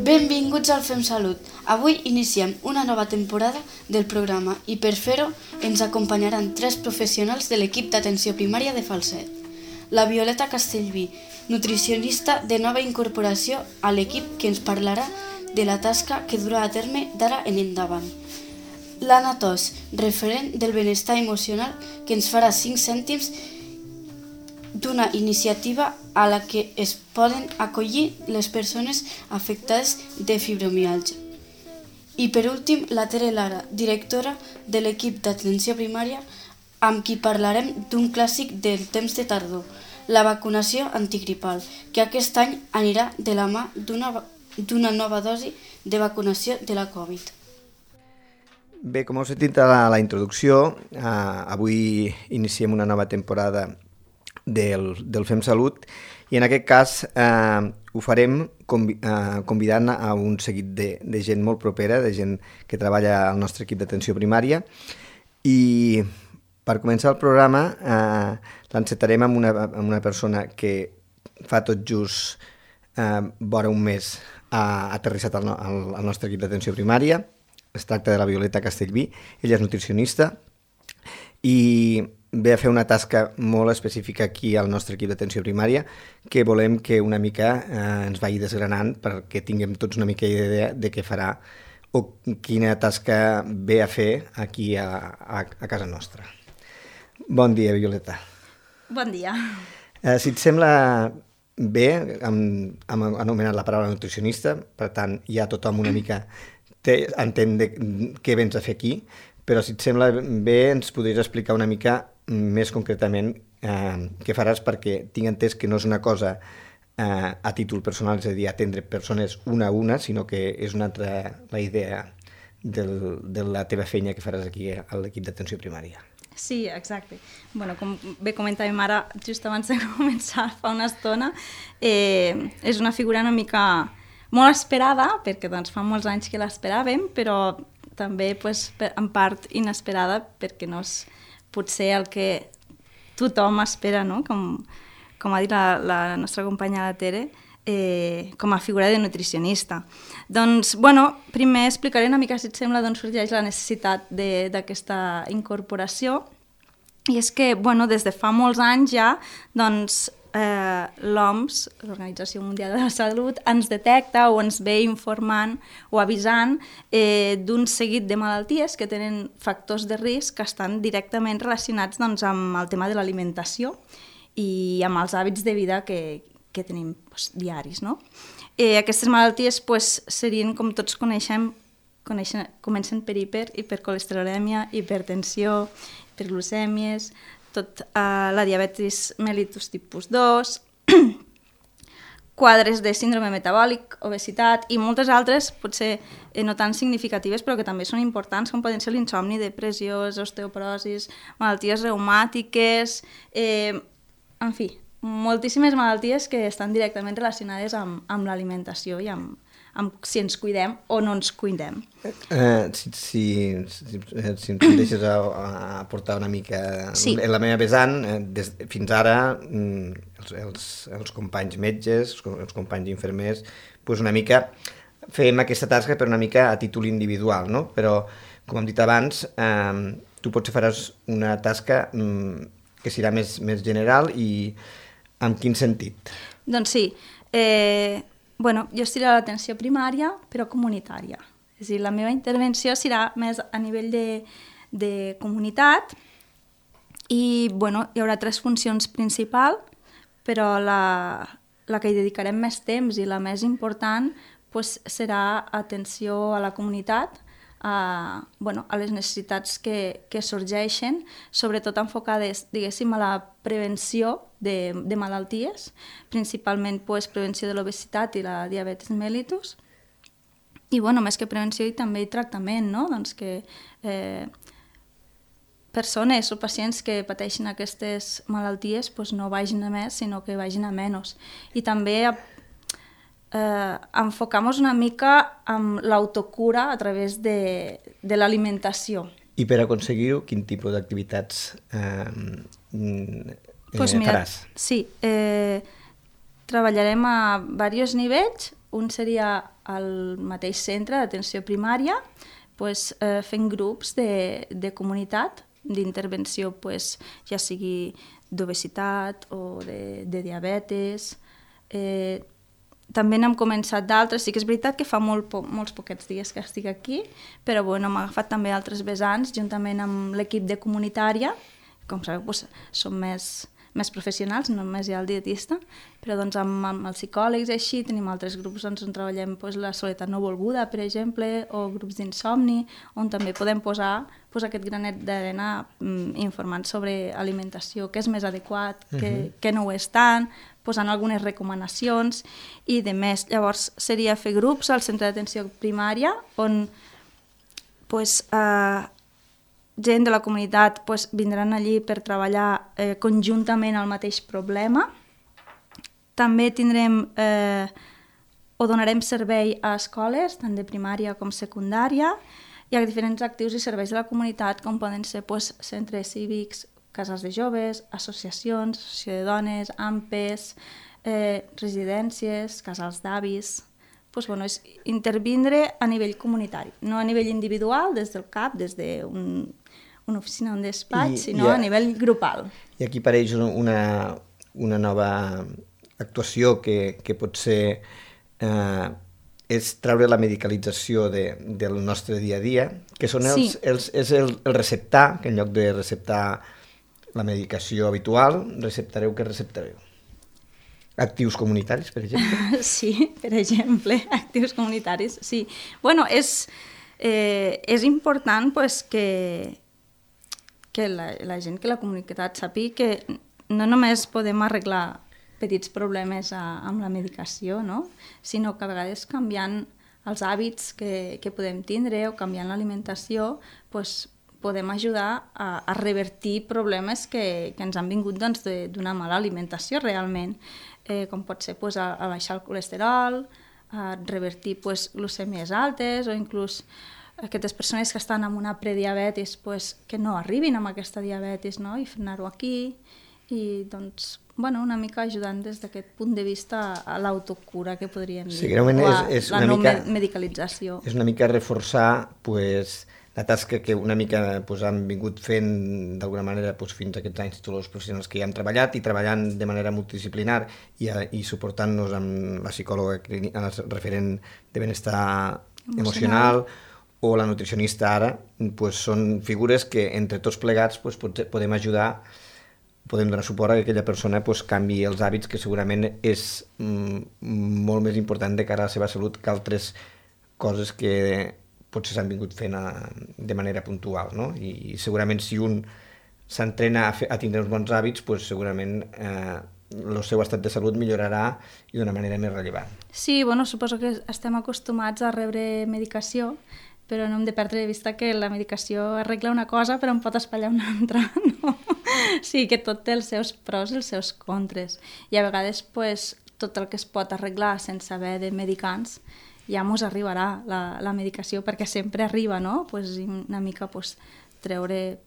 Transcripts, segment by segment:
Benvinguts al Fem Salut. Avui iniciem una nova temporada del programa i per fer-ho ens acompanyaran 3 professionals de l'equip d'atenció primària de Falset. La Violeta Castellví, nutricionista de nova incorporació a l'equip que ens parlarà de la tasca que durà a terme d'ara en endavant. L'Anna Tos, referent del benestar emocional, que ens farà 5 cèntims d'una iniciativa a la que es poden acollir les persones afectades de fibromiàlgia. I per últim, la Tere Lara, directora de l'equip d'atenció primària, amb qui parlarem d'un clàssic del temps de tardor, la vacunació antigripal, que aquest any anirà de la mà d'una nova dosi de vacunació de la Covid. Bé, com heu sentit a la introducció, avui iniciem una nova temporada del Fem Salut i en aquest cas ho farem convidant a un seguit de gent molt propera, de gent que treballa al nostre equip d'atenció primària, i per començar el programa l'encetarem amb una persona que fa tot just vora un mes ha aterrissat al nostre equip d'atenció primària. Es tracta de la Violeta Castellví. Ella és nutricionista i ve a fer una tasca molt específica aquí al nostre equip d'atenció primària que volem que una mica ens vagi desgranant perquè tinguem tots una mica idea de què farà o quina tasca ve a fer aquí a casa nostra. Bon dia, Violeta. Bon dia. Si et sembla bé, hem anomenat la paraula nutricionista, per tant ja tothom una mica entén què vens a fer aquí, però si et sembla bé ens podries explicar una mica més concretament què faràs, perquè tinc entès que no és una cosa a títol personal, és a dir, atendre persones una a una, sinó que és una altra la idea de la teva feina que faràs aquí a l'equip d'atenció primària. Sí, exacte. Bueno, com bé comentàvem ara, just abans de començar, fa una estona, és una figura una mica molt esperada, perquè doncs, fa molts anys que l'esperàvem, però també pues, en part inesperada, perquè no és potser el que tothom espera, no? Com ha dit la nostra companya la Tere, com a figura de nutricionista. Doncs, bueno, primer explicaré una mica, si et sembla, d'on sorgeix la necessitat d'aquesta incorporació. I és que, bueno, des de fa molts anys ja, doncs, l'OMS, l'Organització Mundial de la Salut, ens detecta o ens ve informant o avisant d'un seguit de malalties que tenen factors de risc que estan directament relacionats doncs, amb el tema de l'alimentació i amb els hàbits de vida que tenim doncs, diaris. No? Aquestes malalties doncs, serien, com tots coneixem, comencen per hipercolesterolèmia, hipertensió, hiperglucèmies, la diabetis mellitus tipus 2, quadres de síndrome metabòlic, obesitat i moltes altres, potser no tan significatives, però que també són importants, com poden ser l'insomni, depressió, osteoporosis, malalties reumàtiques, en fi, moltíssimes malalties que estan directament relacionades amb l'alimentació i amb si ens cuidem o no ens cuidem. Si em deixes aportar una mica sí. En la meva vessant, fins ara els companys metges, els companys infermers, doncs una mica fem aquesta tasca per una mica a títol individual, no? Però, com hem dit abans, tu potser faràs una tasca que serà més general i en quin sentit? Doncs sí, bueno, jo estiré a l'atenció primària, però comunitària. És a dir, la meva intervenció serà més a nivell de comunitat i bueno, hi haurà 3 funcions principals, però la que hi dedicarem més temps i la més important doncs, serà atenció a la comunitat, a les necessitats que sorgeixen, sobretot enfocades, diguéssim, a la prevenció de malalties, principalment prevenció de l'obesitat i la diabetis mellitus. I més que prevenció i també tractament, no? Doncs que persones o pacients que pateixin aquestes malalties no vagin a més, sinó que vagin a menys. I també enfocar-nos una mica amb l'autocura a través de l'alimentació. I per aconseguir-ho, quin tipus d'activitats faràs? Sí, treballarem a diversos nivells. Un seria al mateix centre d'atenció primària, fent grups de comunitat, d'intervenció, ja sigui d'obesitat o de diabetes. També n'hem començat d'altres. Sí que és veritat que fa molts poquets dies que estic aquí, però hem agafat també altres vessants juntament amb l'equip de comunitària. Com sabeu, som més professionals, no només hi ha el dietista, però amb els psicòlegs així tenim altres grups on treballem la soledat no volguda, per exemple, o grups d'insomni, on també podem posar aquest granet d'arena informant sobre alimentació, què és més adequat, què no ho és tant, posant algunes recomanacions i de més. Llavors seria fer grups al centre d'atenció primària on gent de la comunitat vindran allí per treballar conjuntament al mateix problema. També tindrem o donarem servei a escoles, tant de primària com secundària, i a diferents actius i serveis de la comunitat, com poden ser centres cívics, casals de joves, associacions, associació de dones, AMPEs, residències, casals d'avis. És intervindre a nivell comunitari, no a nivell individual, des del CAP, des d'una oficina, un despatx, sinó a nivell grupal. I aquí apareix una nova actuació que pot ser és treure la medicalització del nostre dia a dia, que són és el receptar, que en lloc de receptar la medicació habitual, què receptareu? Actius comunitaris, per exemple? Sí, per exemple, actius comunitaris, sí. És important que la gent, que la comunitat sàpiga que no només podem arreglar petits problemes amb la medicació, no? Sinó que a vegades canviant els hàbits que podem tindre o canviant l'alimentació podem ajudar a revertir problemes que ens han vingut d'una mala alimentació realment, com pot ser a baixar el colesterol, a revertir glucèmies altes o inclús aquestes persones que estan amb una prediabetis que no arribin amb aquesta diabetis, no? I frenar-ho aquí i una mica ajudant des d'aquest punt de vista a l'autocura, que podríem dir, o a la no medicalització. És una mica reforçar la tasca que una mica han vingut fent d'alguna manera fins a aquests anys tots els professionals que hi hem treballat i treballant de manera multidisciplinar i suportant-nos amb la psicòloga referent de benestar emocional o la nutricionista ara, són figures que entre tots plegats podem ajudar, podem donar suport a que aquella persona canviï els hàbits, que segurament és molt més important de cara a la seva salut que altres coses que potser s'han vingut fent de manera puntual, no? I segurament si un s'entrena a tindre uns bons hàbits, segurament el seu estat de salut millorarà i d'una manera més rellevant. Sí, suposo que estem acostumats a rebre medicació, però no hem de perdre de vista que la medicació arregla una cosa però en pot espatllar una altra, no? Sí, que tot té els seus pros i els seus contres. I a vegades tot el que es pot arreglar sense haver de medicants ja mos arribarà la medicació, perquè sempre arriba, no? Una mica treure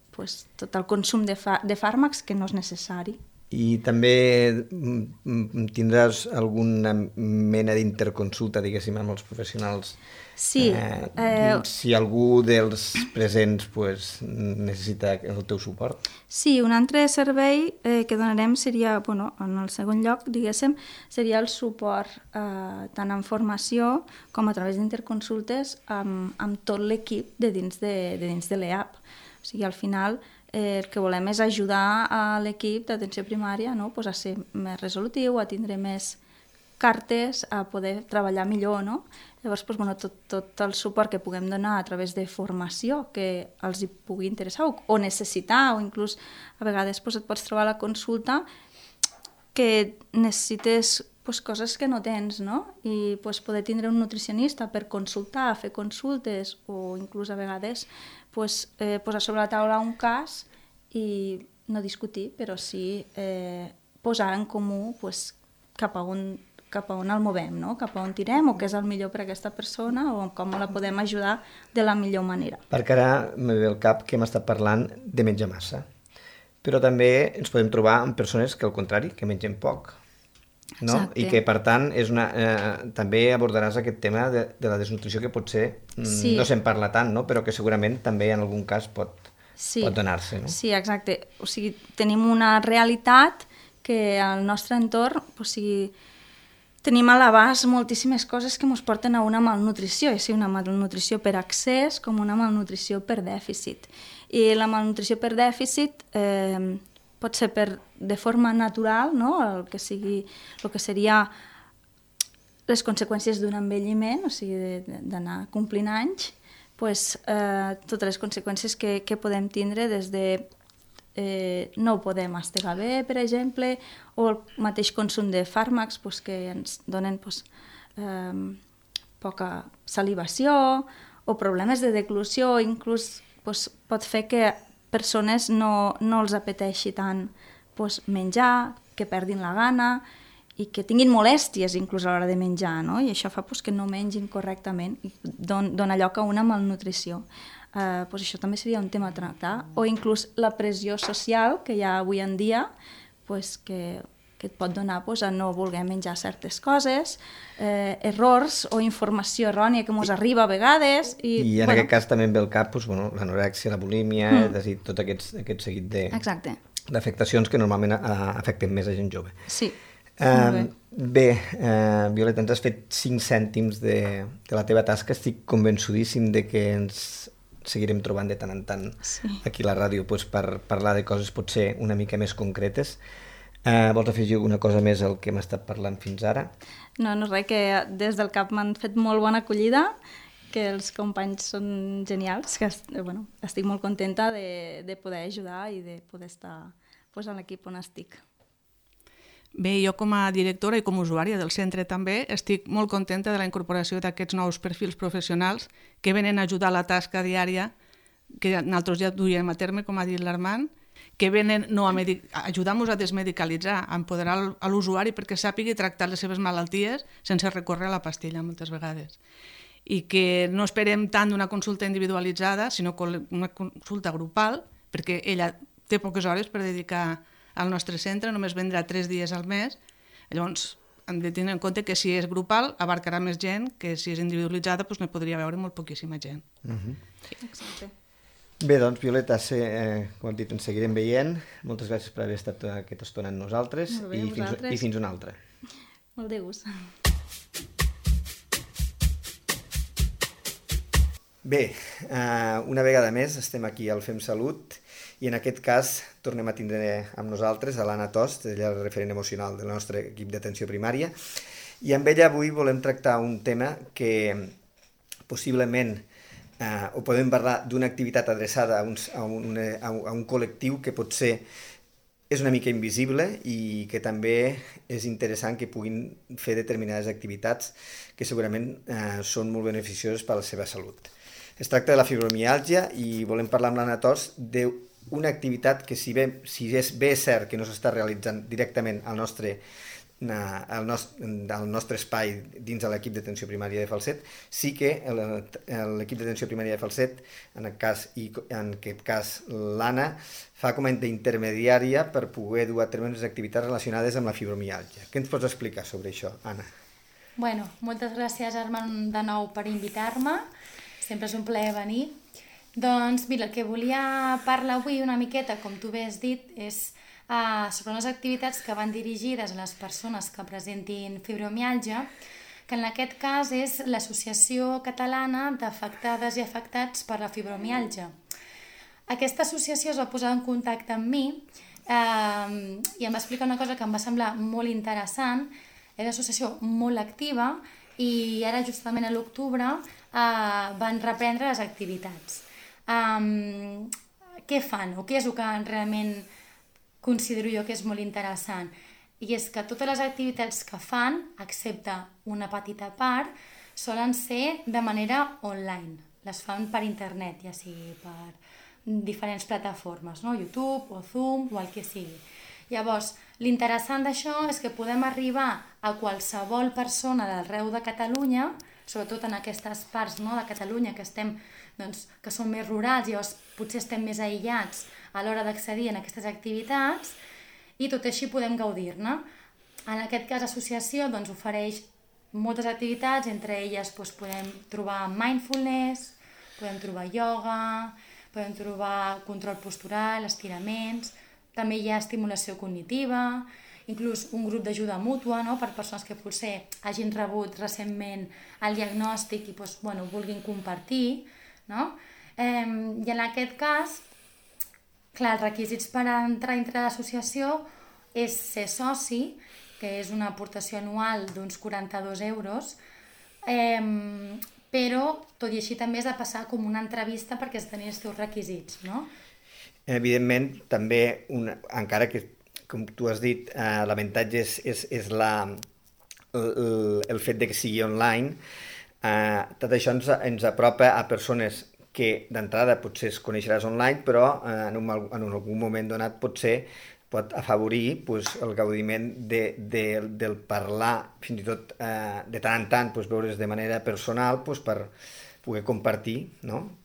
tot el consum de fàrmacs que no és necessari. I també tindràs alguna mena d'interconsulta, diguéssim, amb els professionals? Sí. Si algú dels presents necessita el teu suport? Sí, un altre servei que donarem seria, en el segon lloc, diguéssim, seria el suport tant en formació com a través d'interconsultes amb tot l'equip de dins de l'EAP. O sigui, al final el que volem és ajudar a l'equip d'atenció primària a ser més resolutiu, a tindre més cartes, a poder treballar millor, no? Llavors, tot el suport que puguem donar a través de formació que els hi pugui interessar o necessitar, o inclús a vegades et pots trobar a la consulta que necessites coses que no tens, no? I poder tindre un nutricionista per consultar, fer consultes, o inclús a vegades posar sobre la taula un cas i no discutir, però sí posar en comú cap a on el movem, no? Cap a on tirem, o què és el millor per a aquesta persona, o com la podem ajudar de la millor manera. Perquè ara me ve al cap que hem estat parlant de menjar massa, però també ens podem trobar amb persones que, al contrari, que mengen poc. no? Exacte. I que, per tant, també abordaràs aquest tema de la desnutrició que potser no se'n parla tant, no? Però que segurament també en algun cas pot donar-se. No? Sí, exacte. O sigui, tenim una realitat que al nostre entorn, o sigui, tenim a l'abast moltíssimes coses que ens porten a una malnutrició, ja sigui una malnutrició per excés com una malnutrició per dèficit. I la malnutrició per dèficit pot ser de forma natural, no? el que seria les conseqüències d'un envelliment, o sigui, d'anar complint anys, totes les conseqüències que podem tindre des de no ho podem mastegar bé, per exemple, o el mateix consum de fàrmacs que ens donen poca salivació, o problemes de deglució, inclús pot fer que persones no els apeteixi tant menjar, que perdin la gana i que tinguin molèsties inclús a l'hora de menjar, no? I això fa que no mengin correctament i dona lloc a una malnutrició. Això també seria un tema a tractar, o inclús la pressió social que hi ha avui en dia que et pot donar a no voler menjar certes coses, errors o informació errònia que ens arriba a vegades. I en aquest cas també em ve al cap l'anorèxia, la bulímia, és a dir, tot aquest seguit d'afectacions que normalment afecten més a gent jove. Sí. Bé, Violeta, ens has fet 5 cèntims de la teva tasca. Estic convençudíssim de que ens seguirem trobant de tant en tant aquí a la ràdio per parlar de coses potser una mica més concretes. Vols afegir alguna cosa més al que hem estat parlant fins ara? No, res, que des del CAP m'han fet molt bona acollida, que els companys són genials, que estic molt contenta de poder ajudar i de poder estar en l'equip on estic. Bé, jo com a directora i com a usuària del centre també estic molt contenta de la incorporació d'aquests nous perfils professionals que venen a ajudar la tasca diària que nosaltres ja duiem a terme, com ha dit l'Armand, que venen no a ajudar-nos a desmedicalitzar, a empoderar l'usuari perquè sàpigui tractar les seves malalties sense recórrer a la pastilla moltes vegades. I que no esperem tant d'una consulta individualitzada, sinó una consulta grupal, perquè ella té poques hores per dedicar al nostre centre, només vendrà 3 dies al mes, llavors hem de tenir en compte que si és grupal abarcarà més gent, que si és individualitzada ne podria veure molt poquíssima gent. Exacte. Bé, doncs, Violeta, com hem dit, ens seguirem veient. Moltes gràcies per haver estat aquesta estona amb nosaltres i fins una altra. Molt de gust. Bé, una vegada més estem aquí al Fem Salut i en aquest cas tornem a tindre amb nosaltres a l'Anna Tost, ella és el referent emocional del nostre equip d'atenció primària, i amb ella avui volem tractar un tema que possiblement o podem parlar d'una activitat adreçada a un col·lectiu que potser és una mica invisible i que també és interessant que puguin fer determinades activitats que segurament són molt beneficioses per a la seva salut. Es tracta de la fibromiàlgia i volem parlar amb l'Anna Tost d'una activitat que si és cert que no s'està realitzant directament al nostre espai dins de l'equip d'atenció primària de Falset, sí que l'equip d'atenció primària de Falset, en aquest cas l'Anna, fa com a intermediària per poder dur a terme les activitats relacionades amb la fibromiàlgia. Què ens pots explicar sobre això, Anna? Bueno, moltes gràcies, Armand, de nou per invitar-me. Sempre és un plaer venir. Doncs mira, el que volia parlar avui una miqueta, com tu bé has dit, és sobre unes activitats que van dirigides a les persones que presentin fibromiàlgia, que en aquest cas és l'Associació Catalana d'Afectades i Afectats per la Fibromiàlgia. Aquesta associació es va posar en contacte amb mi i em va explicar una cosa que em va semblar molt interessant. És una associació molt activa i ara justament a l'octubre van reprendre les activitats. Què fan o què és el que realment considero jo que és molt interessant? I és que totes les activitats que fan, excepte una petita part, solen ser de manera online. Les fan per internet, ja sigui per diferents plataformes, no? YouTube o Zoom o el que sigui. Llavors, l'interessant d'això és que podem arribar a qualsevol persona d'arreu de Catalunya, sobretot en aquestes parts, no, de Catalunya que són més rurals, llavors potser estem més aïllats a l'hora d'accedir a aquestes activitats i tot així podem gaudir-ne. En aquest cas, l'associació doncs, ofereix moltes activitats, entre elles doncs, podem trobar mindfulness, podem trobar ioga, podem trobar control postural, estiraments, també hi ha estimulació cognitiva, inclús un grup d'ajuda mútua, no?, per persones que potser hagin rebut recentment el diagnòstic i doncs, vulguin compartir, no? I en aquest cas, clar, els requisits per entrar dintre l'associació és ser soci, que és una aportació anual d'uns 42 euros, però tot i així també has de passar com una entrevista perquè es tenir els teus requisits, no? Evidentment, també, encara que, com tu has dit, l'avantatge és el fet de que sigui online, tot això ens apropa a persones que d'entrada potser es coneixeràs online, però en algun moment donat potser pot afavorir el gaudiment del parlar, fins i tot de tant en tant veure's de manera personal per poder compartir, no?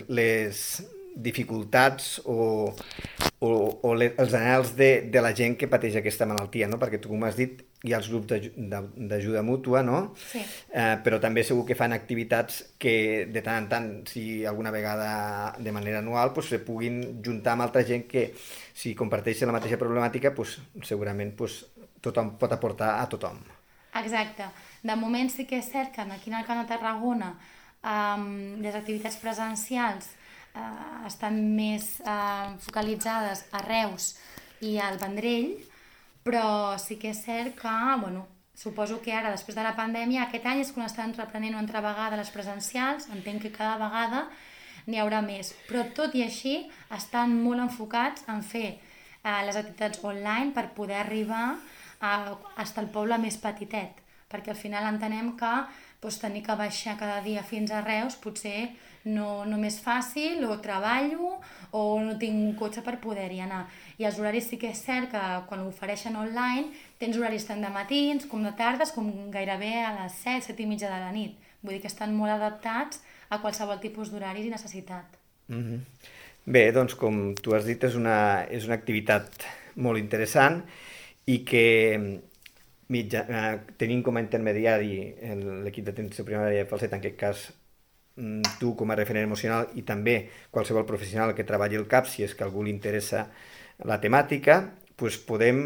Les dificultats o els anhels de la gent que pateix aquesta malaltia, no? Perquè tu, com has dit, hi ha els grups d'ajuda mútua, no? Sí. Però també segur que fan activitats que de tant en tant, si alguna vegada de manera anual, se puguin juntar amb altra gent que, si comparteixen la mateixa problemàtica, segurament tothom pot aportar a tothom. Exacte. De moment sí que és cert que aquí en el Camp de Tarragona les activitats presencials estan més focalitzades a Reus i al Vendrell, però sí que és cert que, suposo que ara, després de la pandèmia, aquest any és quan estan reprenent una altra vegada les presencials, entenc que cada vegada n'hi haurà més, però tot i així estan molt enfocats en fer les activitats online per poder arribar fins al poble més petitet, perquè al final entenem que tenir que baixar cada dia fins a Reus potser no m'és fàcil, o treballo o no tinc un cotxe per poder-hi anar. I els horaris sí que és cert que quan ho ofereixen online tens horaris tant de matins com de tardes com gairebé a les 7, 7 i mitja de la nit. Vull dir que estan molt adaptats a qualsevol tipus d'horaris i necessitat. Bé, doncs com tu has dit, és una activitat molt interessant i que tenint com a intermediari l'equip d'atenció primària de Falset, en aquest cas tu com a referent emocional i també qualsevol professional que treballi el CAP, si és que a algú li interessa la temàtica, podem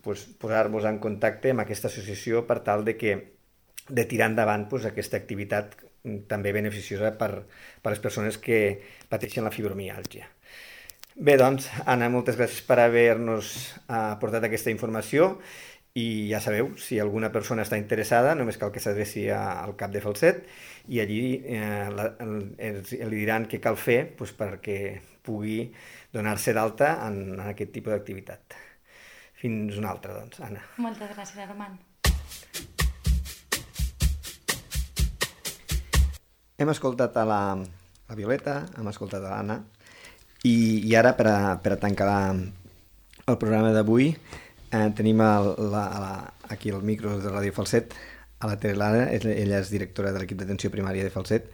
posar-vos en contacte amb aquesta associació per tal de tirar endavant aquesta activitat també beneficiosa per les persones que pateixen la fibromiàlgia. Bé, doncs, Anna, moltes gràcies per haver-nos aportat aquesta informació i ja sabeu, si alguna persona està interessada, només cal que s'adreci al CAP de Falset i allí li diran què cal fer perquè pugui donar-se d'alta en aquest tipus d'activitat. Fins una altra, doncs, Anna. Moltes gràcies, Armand. Hem escoltat a la Violeta, hem escoltat a l'Anna, i ara, per a tancar el programa d'avui, tenim aquí al micro de Ràdio Falset a la Tere Lara. Ella és directora de l'equip d'atenció primària de Falset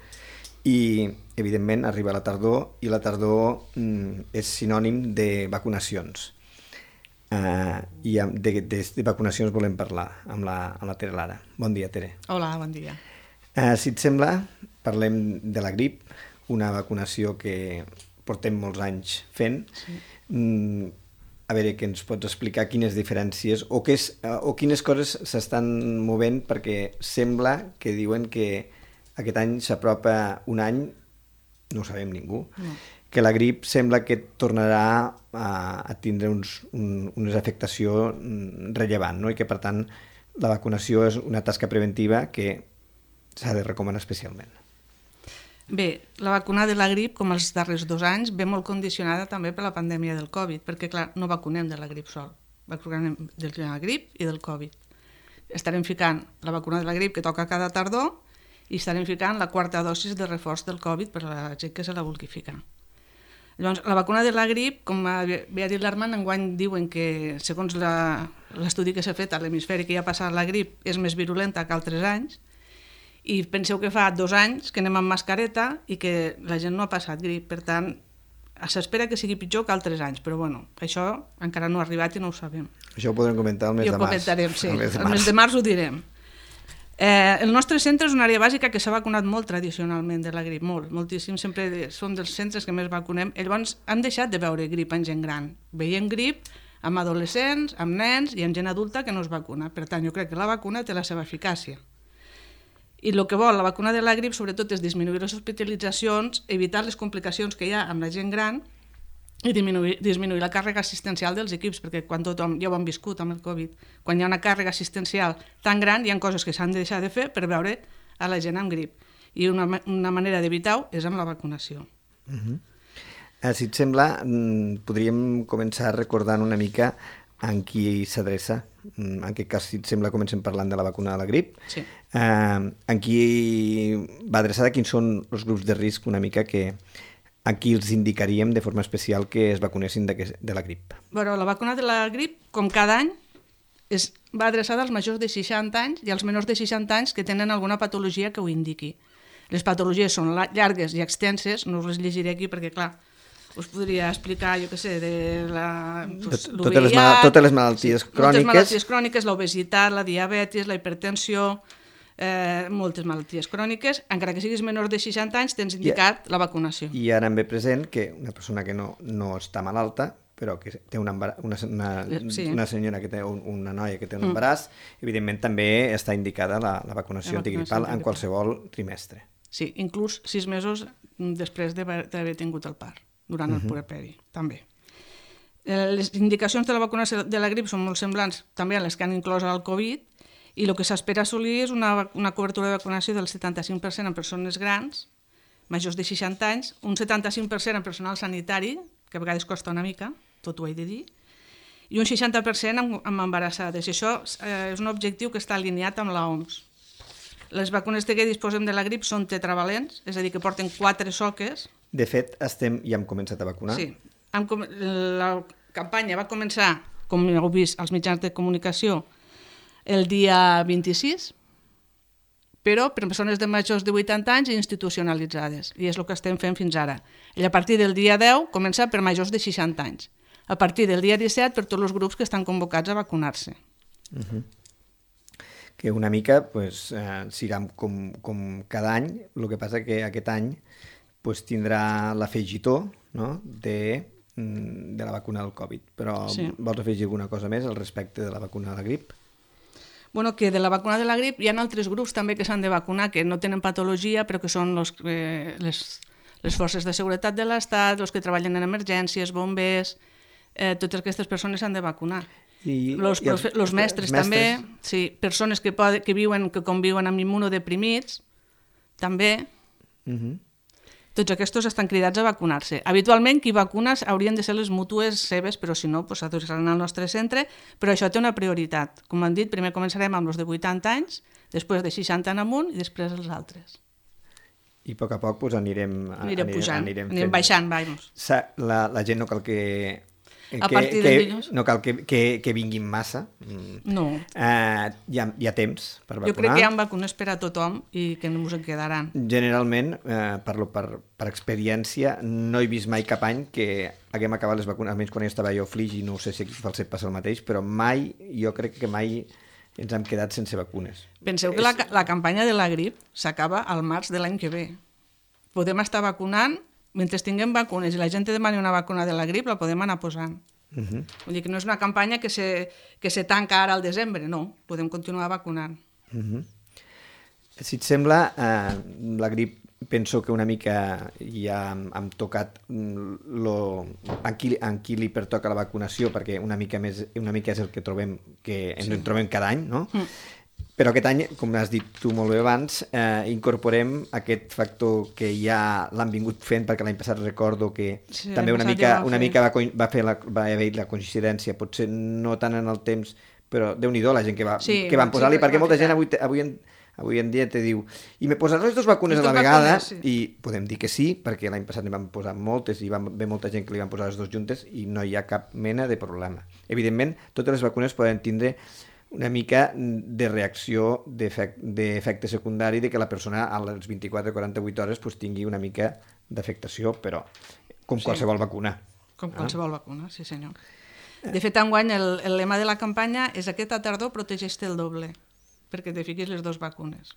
i, evidentment, arriba la tardor i la tardor és sinònim de vacunacions. I de vacunacions volem parlar amb la Tere Lara. Bon dia, Tere. Hola, bon dia. Si et sembla, parlem de la grip, una vacunació que portem molts anys fent. Sí. A veure, que ens pots explicar quines diferències o quines coses s'estan movent, perquè sembla que diuen que aquest any s'apropa un any, no ho sabem ningú, que la grip sembla que tornarà a tindre una afectació rellevant, no? I que, per tant, la vacunació és una tasca preventiva que s'ha de recomanar especialment. Bé, la vacuna de la grip, com els darrers 2 anys, ve molt condicionada també per la pandèmia del Covid, perquè, clar, no vacunem de la grip sol, vacunem de la grip i del Covid. Estarem ficant la vacuna de la grip que toca cada tardor i estarem ficant la 4ª dosis de reforç del Covid per a la gent que se la vulgui ficar. Llavors, la vacuna de la grip, com bé ha dit l'Armand, enguany diuen que, segons l'estudi que s'ha fet a l'hemisferi que ja ha passat la grip, és més virulenta que altres anys. I penseu que fa 2 anys que anem amb mascareta i que la gent no ha passat grip. Per tant, s'espera que sigui pitjor que altres anys, però bueno, això encara no ha arribat i no ho sabem. Això ho podrem comentar el mes de març. I ho comentarem, sí. El mes de març ho direm. El nostre centre és una àrea bàsica que s'ha vacunat molt tradicionalment de la grip, moltíssim, sempre som dels centres que més vacunem. Llavors hem deixat de veure grip en gent gran. Veiem grip amb adolescents, amb nens i amb gent adulta que no es vacuna. Per tant, jo crec que la vacuna té la seva eficàcia. I el que vol la vacuna de la grip sobretot és disminuir les hospitalitzacions, evitar les complicacions que hi ha amb la gent gran i disminuir la càrrega assistencial dels equips, perquè quan tothom, ja ho hem viscut amb el Covid, quan hi ha una càrrega assistencial tan gran hi ha coses que s'han de deixar de fer per veure a la gent amb grip. I una manera d'evitar-ho és amb la vacunació. Si et sembla, podríem començar recordant una mica en qui s'adreça. En aquest cas, si et sembla, comencem parlant de la vacuna de la grip. Sí. En qui va adreçada, quins són els grups de risc una mica que a qui els indicaríem de forma especial que es vacunessin de la grip? Bueno, la vacuna de la grip, com cada any, va adreçada als majors de 60 anys i als menors de 60 anys que tenen alguna patologia que ho indiqui. Les patologies són llargues i extenses, no us les llegiré aquí perquè, clar, us podria explicar, jo què sé, de l'UVIH... Totes les malalties cròniques. Moltes malalties cròniques, l'obesitat, la diabetis, la hipertensió, moltes malalties cròniques, encara que siguis menor de 60 anys tens indicat la vacunació. I ara em ve present que una persona que no està malalta, però que té una senyora que té una noia que té un embaràs, evidentment també està indicada la vacunació antigripal en qualsevol trimestre. Sí, inclús 6 mesos després d'haver tingut el part, durant el puerperi, també. Les indicacions de la vacunació de la grip són molt semblants també a les que han inclòs el Covid, i el que s'espera assolir és una cobertura de vacunació del 75% en persones grans, majors de 60 anys, un 75% en personal sanitari, que a vegades costa una mica, tot ho he de dir, i un 60% amb embarassades. I això és un objectiu que està alineat amb l'OMS. Les vacunes de què disposem de la grip són tetravalents, és a dir, que porten 4 soques. De fet, ja hem començat a vacunar. Sí. La campanya va començar, com heu vist als mitjans de comunicació, el dia 26, però per persones de majors de 80 anys i institucionalitzades, i és el que estem fent fins ara. I a partir del dia 10 comença per majors de 60 anys. A partir del dia 17 per tots els grups que estan convocats a vacunar-se. Que una mica serà com cada any, el que passa que aquest any tindrà l'afegitó de la vacuna del Covid. Però vols afegir alguna cosa més al respecte de la vacuna de la grip? Bueno, que de la vacuna de la grip hi ha altres grups també que s'han de vacunar, que no tenen patologia, però que són les forces de seguretat de l'Estat, els que treballen en emergències, bombers, totes aquestes persones s'han de vacunar. Els mestres també, sí, persones que conviuen amb immunodeprimits, també. Tots aquests estan cridats a vacunar-se. Habitualment, qui vacuna haurien de ser les mútues seves, però si no, s'adreçaran al nostre centre, però això té una prioritat. Com han dit, primer començarem amb els de 80 anys, després de 60 en amunt i després els altres. I a poc anirem pujant, anirem baixant, vamos. La gent no cal no cal que vinguin massa. No. Hi ha temps per vacunar. Jo crec que hi ha vacunes per a tothom i que no ens en quedaran. Generalment, parlo per experiència, no he vist mai cap any que haguem acabat les vacunes, almenys quan estava jo a Flix, i no sé si aquí a Falset passa el mateix, però jo crec que mai ens hem quedat sense vacunes. Penseu que la campanya de la grip s'acaba al març de l'any que ve. Podem estar vacunant. Mentre tinguem vacunes i la gent demani una vacuna de la grip, la podem anar posant. Vull dir que no és una campanya que se tanca ara al desembre, no. Podem continuar vacunant. Si et sembla, la grip penso que una mica ja hem tocat en qui li pertoca la vacunació, perquè una mica és el que trobem, que ens en trobem cada any, no? Però aquest any, com has dit tu molt bé abans, incorporem aquest factor que ja l'han vingut fent, perquè l'any passat recordo que també una mica va haver la coincidència, potser no tant en el temps, però Déu-n'hi-do la gent que van posar-li, perquè molta gent avui en dia te diu i me posaràs les 2 vacunes a la vegada? I podem dir que sí, perquè l'any passat n'hi van posar moltes i va haver molta gent que li van posar les 2 juntes i no hi ha cap mena de problema. Evidentment, totes les vacunes poden tindre una mica de reacció d'efecte secundari, de que la persona a les 24-48 hores pues, tingui una mica d'afectació, però com qualsevol vacuna. Com qualsevol vacuna, sí senyor. De fet, enguany el lema de la campanya és aquesta tardor protegeix-te el doble, perquè te fiquis les 2 vacunes.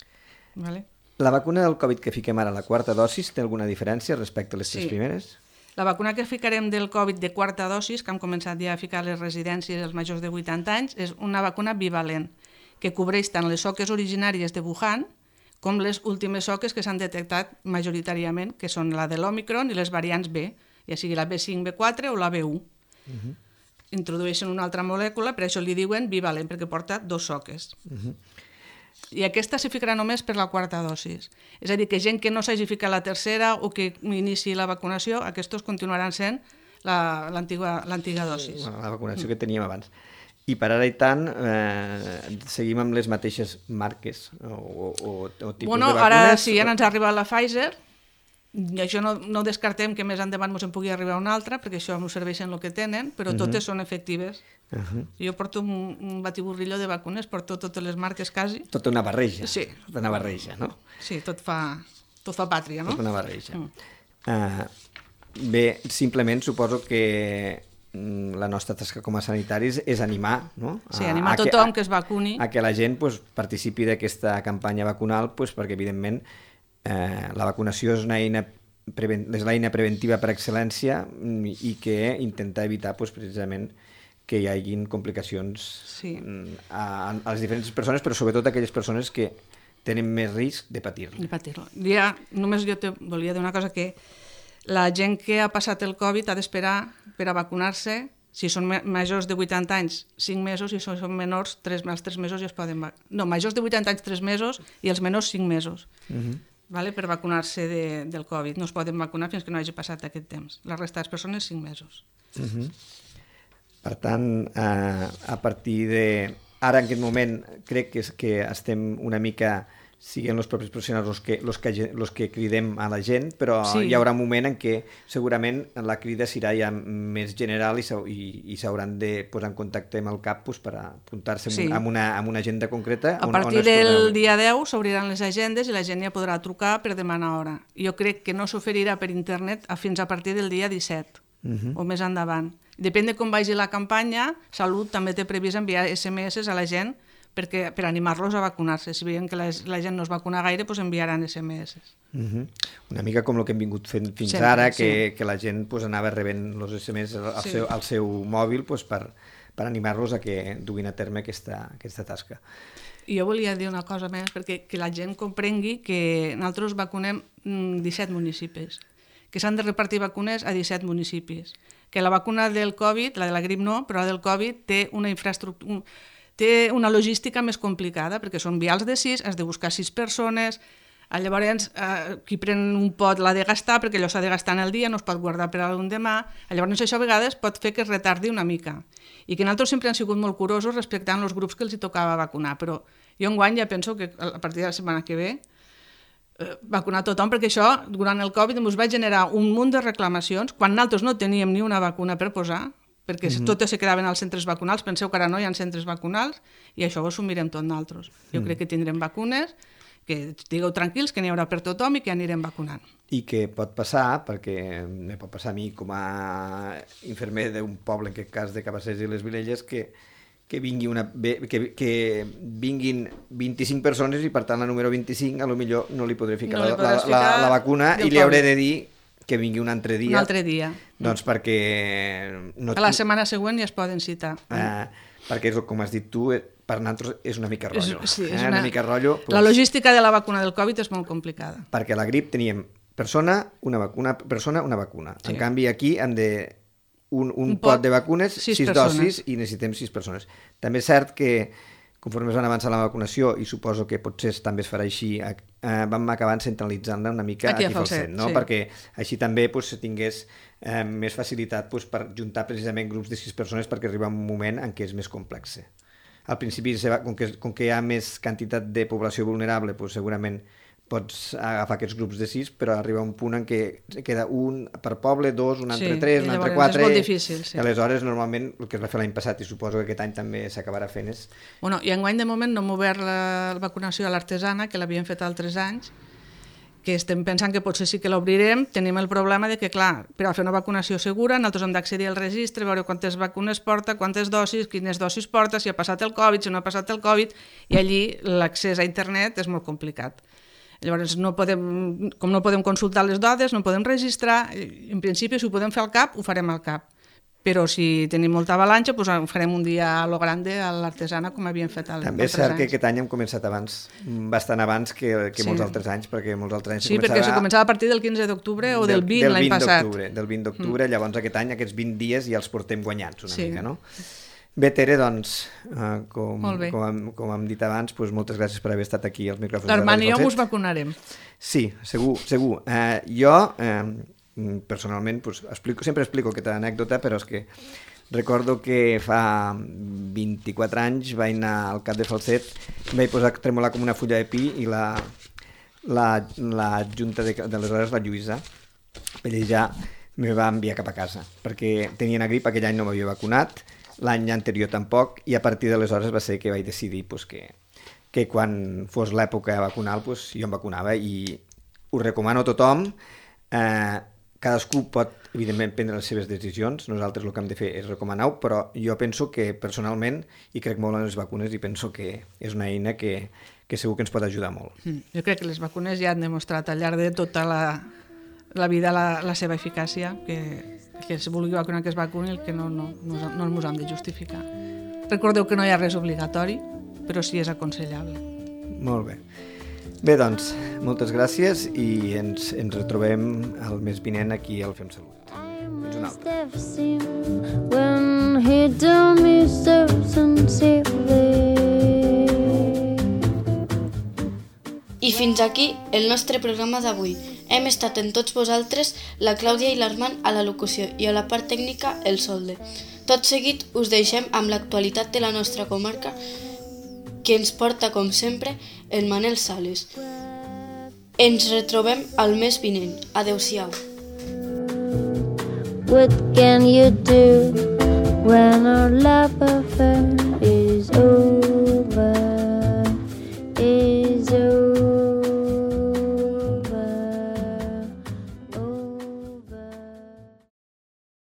Vale? La vacuna del Covid que fiquem ara, la quarta dosis, té alguna diferència respecte a les 3 primeres? La vacuna que ficarem del Covid de quarta dosis, que hem començat ja a ficar a les residències als majors de 80 anys, és una vacuna bivalent, que cobreix tant les soques originàries de Wuhan com les últimes soques que s'han detectat majoritàriament, que són la de l'Omicron i les variants B, ja sigui la B5, B4 o la B1. Introdueixen una altra molècula, per això li diuen bivalent, perquè porta 2 soques. I aquesta s'hi ficarà només per la quarta dosis. És a dir, que gent que no s'hagi ficat la tercera o que inici la vacunació, aquests continuaran sent l'antiga dosis. La vacunació que teníem abans. I per ara i tant, seguim amb les mateixes marques o tipus de vacunes? Ara sí, ja ens ha arribat la Pfizer, i això no descartem que més endavant ens en pugui arribar una altra, perquè això ens serveixen el que tenen, però totes són efectives. Jo porto un batiburrillo de vacunes, porto totes les marques quasi. Tota una barreja. Sí. Tota una barreja, no? Sí, tot fa pàtria, no? Tota una barreja. Bé, simplement suposo que la nostra tasca com a sanitaris és animar, no? Sí, animar tothom que es vacuni. A que la gent participi d'aquesta campanya vacunal, perquè evidentment la vacunació és l'eina preventiva per excel·lència i que intenta evitar precisament que hi hagin complicacions a les diferents persones, però sobretot a aquelles persones que tenen més risc de patir-lo. Només jo te volia dir una cosa, que la gent que ha passat el Covid ha d'esperar per a vacunar-se. Si són majors de 80 anys, 5 mesos, i si són menors, als 3 mesos ja es poden vacunar. No, majors de 80 anys, 3 mesos, i els menors, 5 mesos. Per vacunar-se del Covid. No es poden vacunar fins que no hagi passat aquest temps. La resta de les persones, 5 mesos. Per tant, a partir de... Ara, en aquest moment, crec que estem una mica... Siguin els propis professionals els que cridem a la gent, però hi haurà un moment en què segurament la crida serà ja més general i s'hauran de posar en contacte amb el CAP per apuntar-se amb una agenda concreta. A partir del dia 10 s'obriran les agendes i la gent ja podrà trucar per demanar hora. Jo crec que no s'oferirà per internet fins a partir del dia 17 o més endavant. Depèn de com vagi la campanya, Salut també té previst enviar SMS a la gent per animar-los a vacunar-se. Si veiem que la gent no es vacuna gaire, doncs enviaran SMS. Una mica com el que hem vingut fent fins ara, que la gent anava rebent els SMS al seu mòbil per animar-los a que duguin a terme aquesta tasca. I jo volia dir una cosa més, perquè que la gent comprengui que nosaltres vacunem 17 municipis, que s'han de repartir vacunes a 17 municipis, que la vacuna del Covid, la de la grip no, però la del Covid té una infraestructura... Té una logística més complicada, perquè són vials de 6, has de buscar 6 persones, llavors qui pren un pot l'ha de gastar, perquè allò s'ha de gastar en el dia, no es pot guardar per a demà, llavors això a vegades pot fer que es retardi una mica. I que nosaltres sempre han sigut molt curosos respectant els grups que els tocava vacunar, però jo enguany ja penso que a partir de la setmana que ve vacunar tothom, perquè això, durant el Covid, ens va generar un munt de reclamacions, quan nosaltres no teníem ni una vacuna per posar, perquè totes se quedaven als centres vacunals. Penseu que ara no hi ha centres vacunals i això ho assumirem tot nosaltres. Jo crec que tindrem vacunes, que digueu tranquils, que n'hi haurà per tothom i que anirem vacunant. I que pot passar, perquè me pot passar a mi com a infermer d'un poble, en aquest cas de Cabassers i les Vilelles, que vinguin 25 persones i per tant la número 25 potser no li podré ficar la vacuna i li hauré de dir que vingui un altre dia. Un altre dia. Doncs perquè... A la setmana següent ja es poden citar. Perquè, com has dit tu, per nosaltres és una mica rotllo. Sí, és una mica rotllo. La logística de la vacuna del Covid és molt complicada. Perquè a la grip teníem persona, una vacuna. En canvi, aquí hem de un pot de vacunes, 6 dosis, i necessitem 6 persones. També és cert que conforme es van avançar la vacunació, i suposo que potser també es farà així, vam acabar centralitzant-la una mica aquí a Falset, no? Perquè així també tingués més facilitat per juntar precisament grups de 6 persones, perquè arriba un moment en què és més complex. Al principi, com que hi ha més quantitat de població vulnerable, segurament pots agafar aquests grups de 6, però arriba un punt en què queda un per poble, 2, un entre 3, un entre 4... És molt difícil, sí. I aleshores, normalment, el que es va fer l'any passat, i suposo que aquest any també s'acabarà fent, és... Bueno, i enguany, de moment, no hem obert la vacunació a l'artesana, que l'havíem fet altres anys, que estem pensant que potser sí que l'obrirem. Tenim el problema de que, clar, per a fer una vacunació segura, nosaltres hem d'accedir al registre, veure quantes vacunes porta, quantes dosis, quines dosis porta, si ha passat el Covid, si no ha passat el Covid, i allí l'accés a internet és molt complicat. Llavors, com no podem consultar les dades, no podem registrar, en principi, si ho podem fer al CAP, ho farem al CAP. Però si tenim molta avalanxa, doncs farem un dia a lo grande a l'artesana, com havíem fet altres anys. També és cert que aquest any hem començat abans, bastant abans que molts altres anys, perquè molts altres anys perquè se començava a partir del 15 d'octubre o del 20 l'any passat. Del 20 d'octubre, llavors aquest any, aquests 20 dies ja els portem guanyats una mica, no? Bé, Tere, doncs, com hem dit abans, moltes gràcies per haver estat aquí als micròfons de L'Armand i jo us vacunarem. Sí, segur. Jo, personalment, sempre explico aquesta anècdota, però és que recordo que fa 24 anys vaig anar al Cap de Falset, vaig posar a tremolar com una fulla de pi i la junta d'aleshores, la Lluïsa Pellejà, me va enviar cap a casa, perquè tenia una grip, aquell any no m'havia vacunat, l'any anterior tampoc, i a partir d'aleshores va ser que vaig decidir que quan fos l'època vacunal jo em vacunava, i ho recomano a tothom. Cadascú pot, evidentment, prendre les seves decisions, nosaltres el que hem de fer és recomanar-ho, però jo penso que personalment, i crec molt en les vacunes, i penso que és una eina que segur que ens pot ajudar molt. Jo crec que les vacunes ja han demostrat al llarg de tota la vida la seva eficàcia, que si vulgui vacunar que es vacuni, el que no ens hem de justificar. Recordeu que no hi ha res obligatori, però sí és aconsellable. Molt bé. Bé, doncs, moltes gràcies i ens retrobem el mes vinent aquí al Fem Salut. Fins una altra. I fins aquí el nostre programa d'avui. Hem estat amb tots vosaltres, la Clàudia i l'Armand a la locució i a la part tècnica el Solde. Tot seguit us deixem amb l'actualitat de la nostra comarca, que ens porta, com sempre, el Manel Sales. Ens retrobem al mes vinent. Adéu-siau. What can you do when our love affair